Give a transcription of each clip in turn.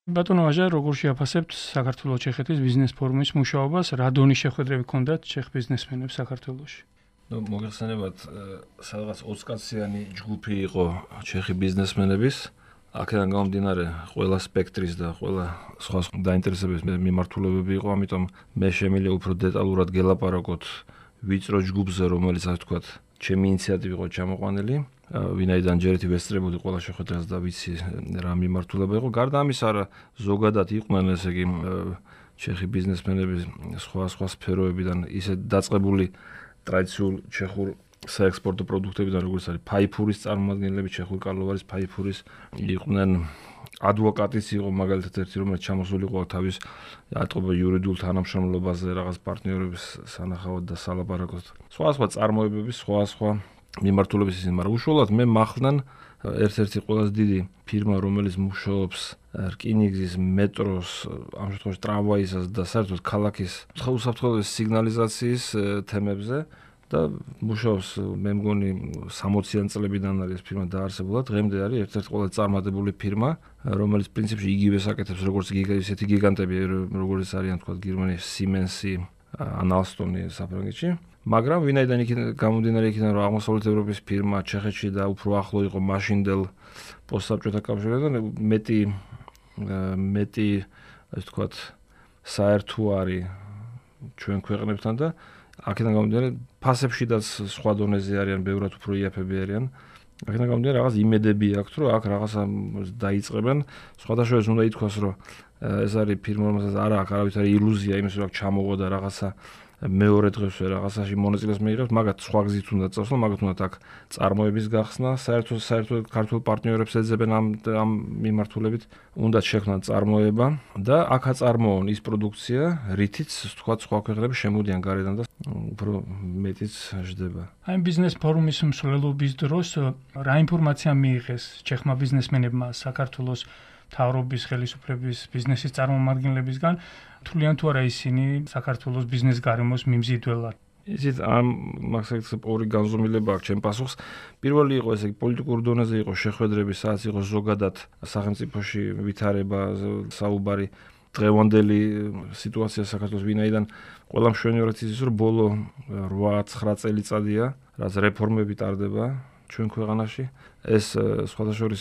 ბატონო ვაჟა, როგორ შეაფასებთ საქართველოს-ჩეხეთის ბიზნეს ფორუმის მუშაობას, რა დონის შეხვედრები ჰქონდათ ჩეხ ბიზნესმენებს საქართველოში? მოგეხსენებათ, სადღაც 20 კაციანი ჯგუფი იყო ჩეხი ბიზნესმენების. აქედან გამომდინარე, ყველა სპექტრის და ყველა სხვა დაინტერესების მიმართულებები იყო, ამიტომ მე შემიძლია უფრო დეტალურად გელაპარაკოთ ვიწრო ჯგუფზე, რომელიც ასე ვთქვათ, ჩემი ინიციატივით იყო ჩამოყვანილი. ვინაიდან ჯერეთი ვესწრებოდი ყველა შეხვედრას და ვიცი რა მიმართულება იყო. გარდა ამისა, ზოგადად იყვნენ ესე იგი ჩეხი ბიზნესმენები სხვა სფეროებიდან ისე დაწყებული ტრადიციულ ჩეხურ საექსპორტო პროდუქტებიდან, როგორც არის ფაიფურის წარმომადგენლები, ჩეხური კარლოვარის ფაიფურის, იყვნენ ადვოკატიც იყო მაგალითად ერთი, რომელიც ჩამოსულიყო თავის ატყობა იურიდიულ თანამშრომლობაზე, რაღაც პარტნიორების სანახავად და სალაპარაკოდ. სხვა წარმოებების, სხვა მიმართულების ისინი, მაგრამ უშუალოდ მე მახლდან ერთ-ერთი ყველაზე დიდი ფირმა, რომელიც მუშაობს რკინიგზის, მეტროს, ამ შემთხვევაში ტრამვაისას და საერთოდ ქალაქის უსაფრთხოების სიგნალიზაციის თემებზე და მუშაობს, მე მგონი 60-იან წლებიდან არის ფირმა დაარსებულა, დღემდე არის ერთ-ერთი ყველაზე წარმატებული ფირმა, რომელიც პრინციპში იგივეს აკეთებს როგორც ისეთი გიგანტები, როგორც არიან თქვა გერმანიის Siemens-ი, ან Alstom-ი საფრანგეთში. მაგრამ ვინაიდან გამომდინარე იქიდან, რომ აღმოსავლეთ ევროპის ფირმა ჩეხეთში და უფრო ახლო იყო მაშინდელ პოსტსაბჭოთა კავშირთან, მეტი ასე ვთქვათ, საერთო არის ჩვენ ქვეყნებთან და აქედან გამომდინარე, ფასებშიდაც სხვა დონეზე არიან, ბევრად უფრო იაფები არიან. აქედან გამომდინარე, რაღაც იმედები აქვს, რომ აქ რაღაცა დაიწყებენ. სხვადასხვა უნდა ითქვას, რომ ეს არის ფირმა, რომელსაც არ აქვს არავითარი ილუზია იმის, რომ აქ ჩამოღო და რაღაცა მეორე დღესვე რაღაცაში მონაწილეს მიიღებს, მაგათ სხვა გზით უნდა წასვლა, მაგათ უნდა აქ წარმოების გახსნა, საერთოდ ქართულ პარტნიორებს ეძებენ ამ მიმართულებით, უნდა შექმნან წარმოება და აქ აწარმოონ ის პროდუქცია, რითიც თქვა სხვა ქვეყნები შემოდიან გარედან და უფრო მეტიც ჟდება. აი ბიზნეს ფორუმის მსვლელობის დროს რა ინფორმაცია მიიღეს ჩეხმა ბიზნესმენებმა საქართველოს მთავრობის ხელისუფლების ბიზნესის წარმომადგენლებისგან, თვლიან თუ არა ისინი საქართველოს ბიზნეს გარემოს მიმზიდველად? ისიც ამ მაგას ორი განზომილება აქვს ჩემ პასუხს. პირველი იყო ესე იგი პოლიტიკურ დონეზე იყო შეხვედრები, სადაც იყო ზოგადად სახელმწიფოში ვითარება, საუბარი დღევანდელი სიტუაცია საქართველოს, ვინაიდან ყველა მშვენივრად იცის, რომ ბოლო 8-9 წელიწადია, რაც რეფორმები ტარდება ჩვენ ქვეყანაში. ეს სხვადასხვა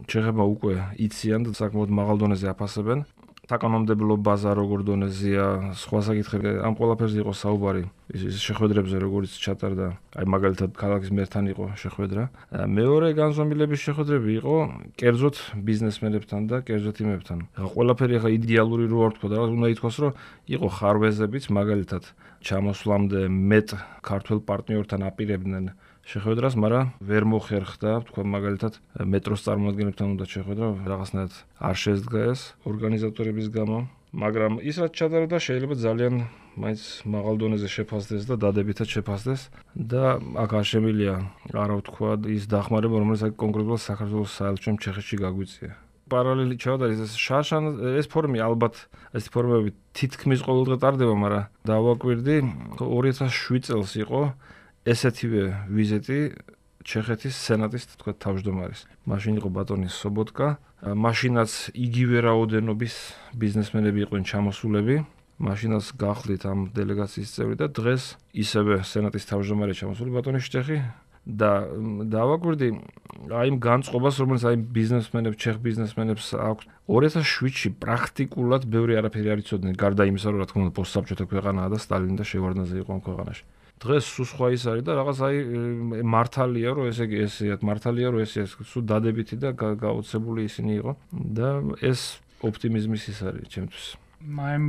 ჩეხებმა უკვე იციან და საკმაოდ მაღალ დონეზე აფასებენ. საკანონმდებლო ბაზა როგორ დონეზეა, სხვა საკითხები, ამ ყველაფერზე იყო საუბარი ის შეხვედრებზე, როგორც ჩატარდა, აი მაგალითად ქალაქის მერთან იყო შეხვედრა. მეორე განზომილების შეხვედრები იყო კერძოდ ბიზნესმენებთან და კერძოდ იმებთან. ყველაფერი ახლა იდეალური რო არ თქვა და უნდა ითქვას, რომ იყო ხარვეზებიც, მაგალითად ჩამოსვლამდე მეტ ქართულ პარტნიორთან აპირებდნენ შეხვედრას, მაგრამ ვერ მოხერხდა, თქვა მაგალითად მეტროს წარმომადგენლებთან უნდა შეხვედრა, რაღაცნაირად არ შეძდგა ეს ორგანიზატორების გამო, მაგრამ ის რაც ჩატარდა შეიძლება ძალიან მაინც მაღალ დონეზე შეფასდეს და დადებითად შეფასდეს და აქ არ შემიძლია არა ვთქვა ის დახმარება, რომელიც კონკრეტულად საქართველოს საელჩომ ჩეხეთში გაგვიწია. პარალელი ჩავდარეს შარშან ეს ფორუმი ალბათ ეს ფორუმები თითქმის ყოველდღე ტარდება, მაგრამ დავაკვირდი 2007 წელს იყო ესეთივე ვიზიტი ჩეხეთის სენატის თქვა თავმჯდომარის. მაშინ იყო ბატონი სობოტკა, მაშინაც იგივე რაოდენობის ბიზნესმენები იყვნენ ჩამოსულები, მაშინაც გახლით ამ დელეგაციის წევრი და დღეს ისევე სენატის თავმჯდომარე ჩამოსული ბატონი შტეხი და დავაკვირდი აი იმ განწყობას, რომელიც აი ბიზნესმენებს, ჩეხ ბიზნესმენებს აქვს 2007-ში პრაქტიკულად ბევრი არაფერი არ იცოდნენ, გარდა იმისა, რომ რა თქმა უნდა პოსტსაბჭოთა ქვეყანაა და სტალინი და შევარდნაძე იყო ამ ქვეყანაში. დღეს სულ სხვა ის არის და რაღაც აი მართალია, რომ ესე იგი ესეათ მართალია, რომ ესე სულ დადებითი და გაოცებული ისინი იყო და ეს ოპტიმიზმის ის არის ჩემთვის. მაიმ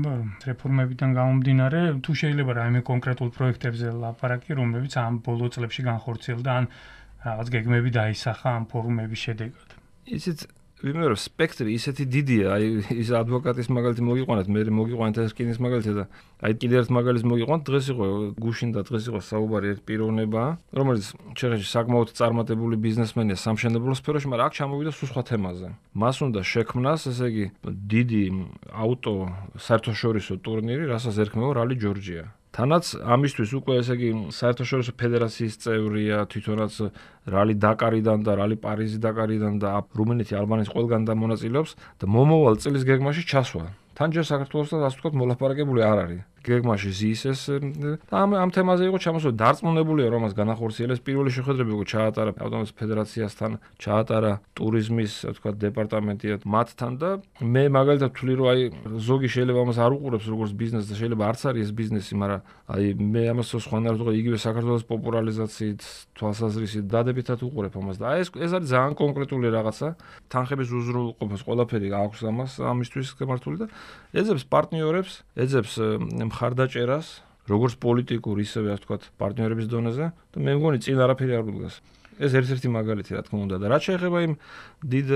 რეფორმებიდან გამომდინარე, თუ შეიძლება რაიმე კონკრეტულ პროექტებზე ლაპარაკი, რომლებიც ამ ბოლო წლებში განხორციელდა, ან რაღაც გეგმები დაისახა ამ ფორუმების შედეგად. ისიც ვიმეორებ, სპექტრი ისეთი დიდია, აი ის ადვოკატის მაგალითი მოგიყვანეთ, მე მოგიყვანეთ ეს რკინის მაგალითი და აი კიდევ ერთ მაგალითს მოგიყვანეთ, დღეს იყო გუშინ და დღეს იყო საუბარი ერთ პიროვნება, რომელიც ჩეხეთში საკმაოდ წარმატებული ბიზნესმენია სამშენებლო სფეროში, მაგრამ აქ ჩამოვიდა სულ სხვა თემაზე. მას უნდა შექმნას, ესე იგი, დიდი აუტო საერთაშორისო ტურნირი, რასაც ერქმევა რალი ჯორჯია. თანაც ამისთვის უკვე ესე იგი საერთაშორისო ფედერაციის წევრია, თვითონაც რალი დაკარიდან და რალი პარიზი დაკარიდან და რუმინეთი ალბანეთის ყველგან და მონაწილეობს და მომავალ წლის გეგმაში ჩასვა. თან ჯერ საქართველოსთან ასე ვთქვათ მოლაპარაკებული არ არის. გეგმაში ზის ეს ამ თემაზე იყო ჩამოსული დარწმუნებულია რომ მას განახორციელებს პირველი შეხვედრები უკვე ჩაატარა ავტონომიის ფედერაციასთან, ჩაატარა ტურიზმის ვთქვათ დეპარტამენტია მათთან და მე მაგალითად ვთვლი რომ აი ზოგი შეიძლება ამას არ უყურებს როგორც ბიზნესს და შეიძლება არც არის ეს ბიზნესი, მაგრამ აი მე ამას სხვანაირად ვთქვი იგივე საქართველოს პოპულარიზაციით თვალსაზრისით დადებითად უყურებ ამას და აი ეს არის ძალიან კონკრეტული რაღაცა თანხების უზრუნველყოფას ყველაფერი აქვს ამას ამისთვის გამართული და ეძებს პარტნიორებს, ეძებს მხარდაჭერას, როგორც პოლიტიკურ, ისევე ასე ვთქვათ, პარტნიორების დონეზე და მე მგონი წინ არაფერი არ უდგას. ეს ერთ-ერთი მაგალითი რა თქმა უნდა და რაც შეეხება იმ დიდ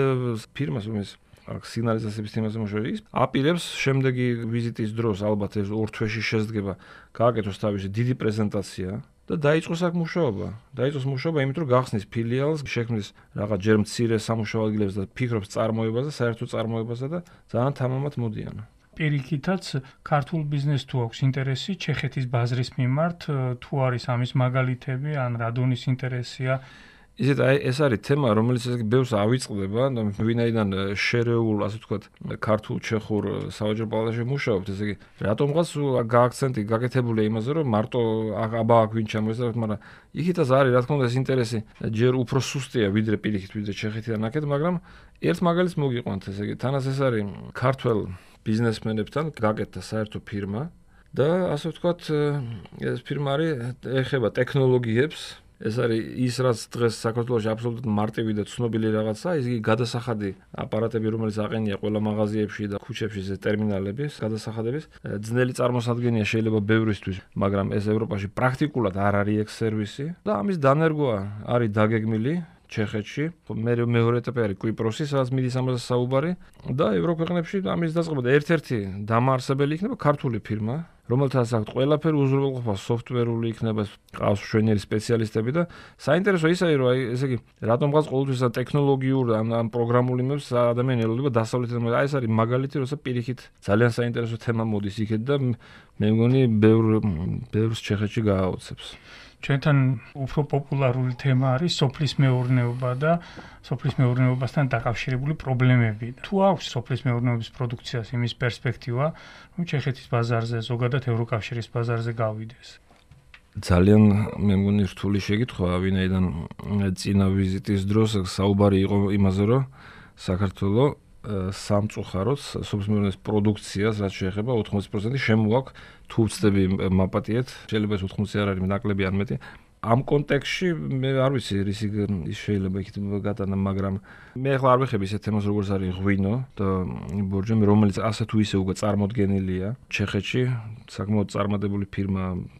ფირმას, რომელიც სიგნალიზაციების თემაზე მუშაობს, აპირებს შემდეგი ვიზიტის დროს ალბათ ეს 2 თვეში შესდგება, გააკეთოს თავისი დიდი პრეზენტაცია და დაიწყოს აქ მუშაობა. დაიწყოს მუშაობა იმით რომ გახსნის ფილიალს, შექმნის რაღაც ჯერ მცირე სამუშაო ადგილებს და ფიქრობს წარმოებაზე, საერთო წარმოებაზე და ძალიან თამამად მოდიან. პირიქითაც ქართულ ბიზნესს თუ აქვს ინტერესი ჩეხეთის ბაზრის მიმართ, თუ არის ამის მაგალითები, ან რადონის ინტერესია. ისეთ აი ეს არის თემა, რომელიც ესე ბევრს ავიწყდება, ვინაიდან შერეულ, ასე ვთქვათ, ქართულ-ჩეხურ საოჯრო პალატაში მუშაობთ, ესე იგი, რატომღაც გააქცენტი გაკეთებულია იმაზე, რომ მარტო აბა აქ ვინ ჩამოესწრაფეთ, მაგრამ იქითაც არის, რა თქმა უნდა, ეს ინტერესი ჯერ უფრო სუსტია, ვიდრე პირიქით, ვიდრე ჩეხეთიდან აქეთ, მაგრამ ერთ მაგალითს მოგიყვანთ, ესე იგი, თანაც ეს არის ქართველ ბიზნესმენებთან გაკეთდა საერთო ფირმა და ასე ვთქვათ, ეს ფირმა არის ეხება ტექნოლოგიებს. ეს არის ის რაც დღეს საქართველოში აბსოლუტურად მარტივი და ცნობილი რაღაცა, ის იგი გადასახადი აპარატები, რომელიც აყენია ყველა მაღაზიებში და ქუჩებში, ეს ტერმინალები გადასახადების. ძნელი წარმოსადგენია შეიძლება ბევრისთვის, მაგრამ ეს ევროპაში პრაქტიკულად არ არის ეგ სერვისი და ამის დანერგვა არის დაგეგმილი ჩეხეთში. მეორე ეტაპი არის კვიპროსი, სადაც მიდის ამაზე საუბარი და ევროქვეყნებში ამის დაწყება და ერთ-ერთი დამაარსებელი იქნება ქართული ფირმა, რომელთაც აქვს ყველაფერი უზრუნველყოფა სოფტვერული იქნება, ყავს მშვენიერი სპეციალისტები და საინტერესო ის არის, რომ აი ესე იგი, რატომღაც ყოველთვის ტექნოლოგიურ ან პროგრამულ იმებს ადამიანი ელოდება დასავლეთიდან, აი ეს არის მაგალითი, როცა პირიქით ძალიან საინტერესო თემა მოდის იქეთ და მე მგონი ბევრს ჩეხეთში გააოცებს. ჩვენთან უფრო პოპულარული თემა არის სოფლის მეურნეობა და სოფლის მეურნეობასთან დაკავშირებული პრობლემები. თუ აქვს სოფლის მეურნეობის პროდუქციას იმის პერსპექტივა, რომ ჩეხეთის ბაზარზე, ზოგადად ევროკავშირის ბაზარზე გავიდეს. ძალიან მე მგონი რთული შეკითხვა, ვინაიდან წინა ვიზიტის დროს საუბარი იყო იმაზე, რომ საქართველოს სამწუხაროდ სოფლის მეურნეობის პროდუქციას რაც შეეხება 80% შემოაქვს თუ ვწდები მაპატიეთ, შეიძლება 80 არ არის ნაკლები არ მეტი. ამ კონტექსტში მე არ ვიცი რისი შეიძლება იქით გატანა, მაგრამ მე ახლა არ ვეხები ისეთ თემას როგორც არის ღვინო და ბორჯომი, რომელიც ასე თუ ისე უკვე წარმოდგენილია ჩეხეთში, საკმაოდ წარმატებული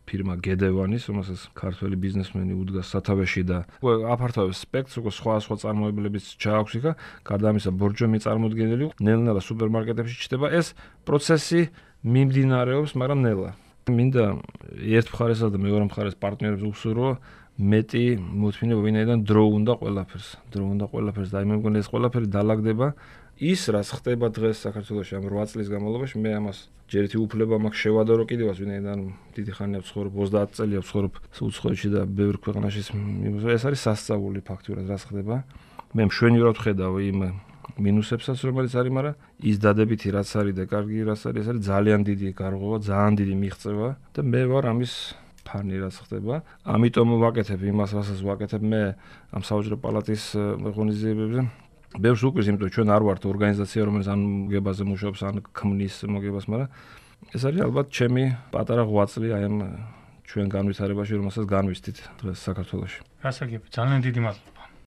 ფირმა გედევანის, რომელსაც ქართველი ბიზნესმენი უდგას სათავეში და უკვე აფართოვებს სპექტრს, უკვე სხვა წარმოებლებიც ჩააქვს იქა, გარდა ამისა ბორჯომი წარმოდგენილი, ნელ-ნელა სუპერმარკეტებში ჩნდება ეს პროცესი მიმდინარეობს, მაგრამ ნელა. მინდა ერთ მხარესა და მეორე მხარეს პარტნიორებს უსურო მეტი მოთმინება, ვინაიდან დრო უნდა ყველაფერს და მე მგონი ეს ყველაფერი დაალაგდება ის რაც ხდება დღეს საქართველოში ამ 8 წლის განმავლობაში, მე ამას ჯერითი უფლება მაქვს შევადარო კიდევაც, ვინაიდან დიდი ხანია ვცხოვრობ, 30 წელია ვცხოვრობ უცხოეთში და ბევრ ქვეყანაში, ეს არის სასწაული ფაქტურად რაც ხდება. მე მშვენივრად ვხედავ იმ მინუსებსაც რომელიც არის, მაგრამ ის დადებითი რაც არის და კარგი რაც არის, ეს არის ძალიან დიდი გარღვევა, ძალიან დიდი მიღწევა და მე ვარ ამის ფანი რაც ხდება. ამიტომ ვაკეთებ იმას, რასაც ვაკეთებ მე ამ საოჯრო პალატის ღონისძიებებზე. ბევრს უკვირს, იმიტომ ჩვენ არ ვართ ორგანიზაცია, რომელიც ამ მოგებაზე მუშაობს, ან ქმნის მოგებას, მაგრამ ეს არის ალბათ ჩემი პატარა ღვაწლი აი ამ ჩვენ განვითარებაში, რომელსაც განვისდით დღეს საქართველოში. გასაგები, ძალიან დიდი მადლობა.